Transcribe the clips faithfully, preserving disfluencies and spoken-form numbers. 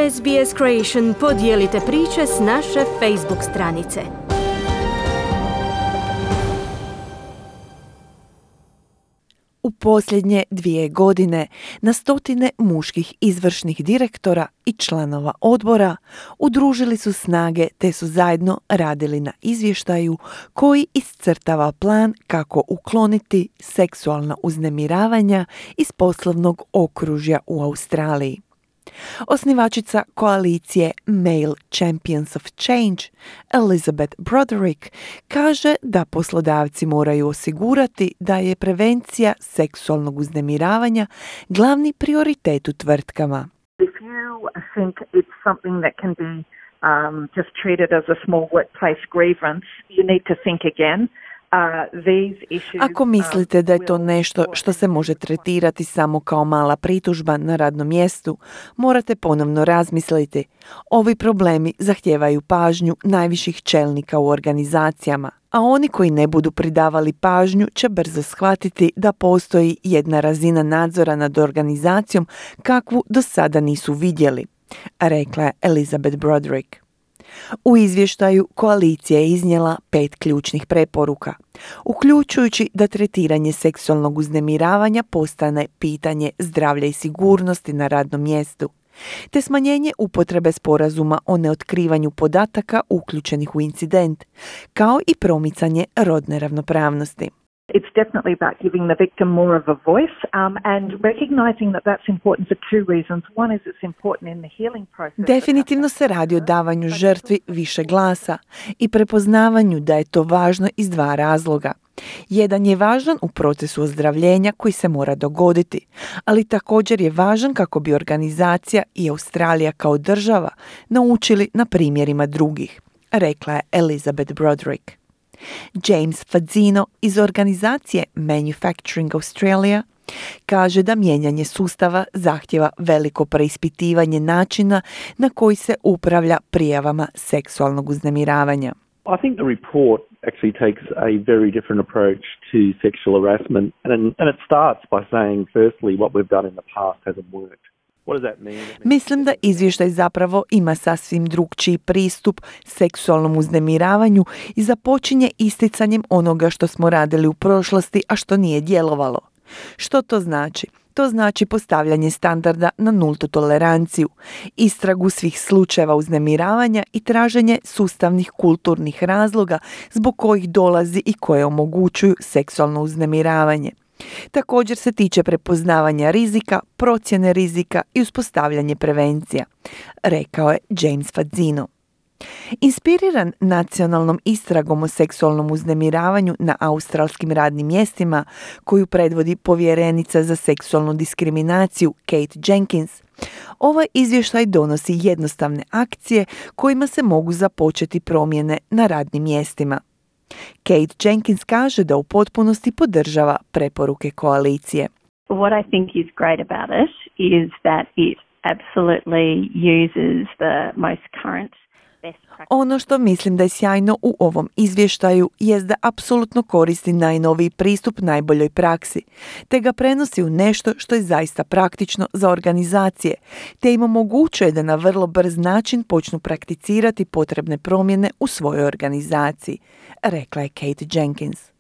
S B S Creation podijelite priče s naše Facebook stranice. U posljednje dvije godine na stotine muških izvršnih direktora i članova odbora udružili su snage te su zajedno radili na izvještaju koji iscrtava plan kako ukloniti seksualna uznemiravanja iz poslovnog okružja u Australiji. Osnivačica koalicije Male Champions of Change, Elizabeth Broderick, kaže da poslodavci moraju osigurati da je prevencija seksualnog uznemiravanja glavni prioritet u tvrtkama. If you think it's something that can be um, just treated as a small workplace grievance, you need to think again. Ako mislite da je to nešto što se može tretirati samo kao mala pritužba na radnom mjestu, morate ponovno razmisliti. Ovi problemi zahtijevaju pažnju najviših čelnika u organizacijama, a oni koji ne budu pridavali pažnju će brzo shvatiti da postoji jedna razina nadzora nad organizacijom kakvu do sada nisu vidjeli, rekla je Elizabeth Broderick. U izvještaju koalicija je iznijela pet ključnih preporuka, uključujući da tretiranje seksualnog uznemiravanja postane pitanje zdravlja i sigurnosti na radnom mjestu, te smanjenje upotrebe sporazuma o neotkrivanju podataka uključenih u incident, kao i promicanje rodne ravnopravnosti. It's definitely about giving the victim more of a voice um, and recognizing that that's important for two reasons. One is it's important in the healing process. Definitivno se radi o davanju žrtvi više glasa i prepoznavanju da je to važno iz dva razloga. Jedan je važan u procesu ozdravljenja koji se mora dogoditi, ali također je važan kako bi organizacija i Australija kao država naučili na primjerima drugih, rekla je Elizabeth Broderick. James Fazzino iz organizacije Manufacturing Australia kaže da mijenjanje sustava zahtjeva veliko preispitivanje načina na koji se upravlja prijavama seksualnog uznemiravanja. I think the report actually takes a very different approach to sexual harassment and, and it starts by saying firstly what we've done in the past hasn't worked. Mislim da izvještaj zapravo ima sasvim drukčiji pristup seksualnom uznemiravanju i započinje isticanjem onoga što smo radili u prošlosti, a što nije djelovalo. Što to znači? To znači postavljanje standarda na nultu toleranciju, istragu svih slučajeva uznemiravanja i traženje sustavnih kulturnih razloga zbog kojih dolazi i koje omogućuju seksualno uznemiravanje. Također se tiče prepoznavanja rizika, procjene rizika i uspostavljanje prevencija, rekao je James Fazzino. Inspiriran nacionalnom istragom o seksualnom uznemiravanju na australskim radnim mjestima, koju predvodi povjerenica za seksualnu diskriminaciju Kate Jenkins, ovaj izvještaj donosi jednostavne akcije kojima se mogu započeti promjene na radnim mjestima. Kate Jenkins kaže da u potpunosti podržava preporuke koalicije. What I think is great about it is that it absolutely uses the most current best practices. Ono što mislim da je sjajno u ovom izvještaju jest da apsolutno koristi najnoviji pristup najboljoj praksi, te ga prenosi u nešto što je zaista praktično za organizacije, te im omogućuje da na vrlo brz način počnu prakticirati potrebne promjene u svojoj organizaciji, rekla je Kate Jenkins.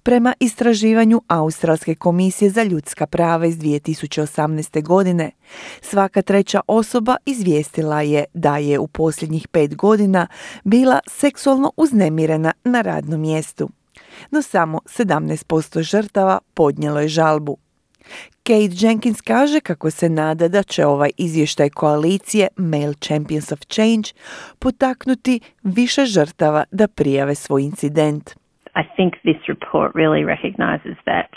Prema istraživanju Australske komisije za ljudska prava iz dvije tisuće osamnaeste. godine, svaka treća osoba izvijestila je da je u posljednjih pet godina bila seksualno uznemirena na radnom mjestu. No samo sedamnaest posto žrtava podnijelo je žalbu. Kate Jenkins kaže kako se nada da će ovaj izvještaj koalicije Male Champions of Change potaknuti više žrtava da prijave svoj incident. I think this report really recognizes that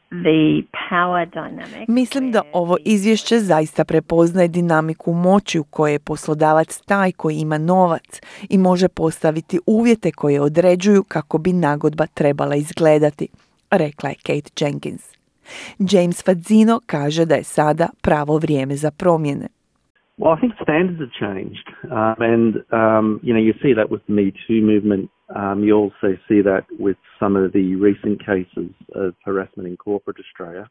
the power dynamic. Mislim da ovo izvješće zaista prepoznaje dinamiku moći u kojoj je poslodavac taj koji ima novac i može postaviti uvjete koje određuju kako bi nagodba trebala izgledati, rekla je Kate Jenkins. James Fazzino kaže da je sada pravo vrijeme za promjene. Well, I think standards have changed, um, and um, you know you see that with the Me Too movement. Um, you also see that with some of the recent cases of harassment in corporate Australia.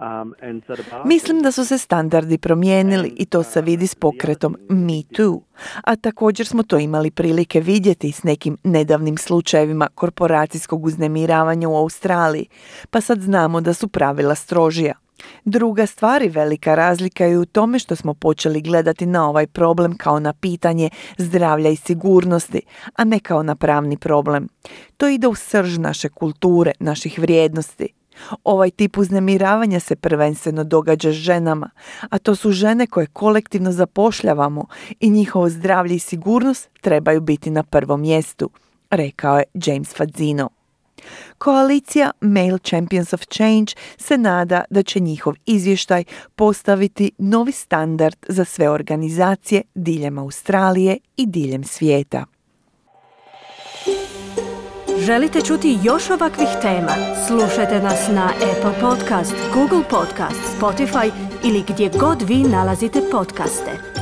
Um, and so the bar- Mislim da su se standardi promijenili i to se vidi s pokretom Me Too. A također smo to imali prilike vidjeti s nekim nedavnim slučajevima korporacijskog uznemiravanja u Australiji, pa sad znamo da su pravila strožija. Druga stvar i velika razlika je u tome što smo počeli gledati na ovaj problem kao na pitanje zdravlja i sigurnosti, a ne kao na pravni problem. To ide u srž naše kulture, naših vrijednosti. Ovaj tip uznemiravanja se prvenstveno događa s ženama, a to su žene koje kolektivno zapošljavamo i njihovo zdravlje i sigurnost trebaju biti na prvom mjestu, rekao je James Fazzino. Koalicija Male Champions of Change se nada da će njihov izvještaj postaviti novi standard za sve organizacije diljem Australije i diljem svijeta. Želite čuti još ovakvih tema? Slušajte nas na Apple Podcast, Google Podcast, Spotify ili gdje god vi nalazite podcaste.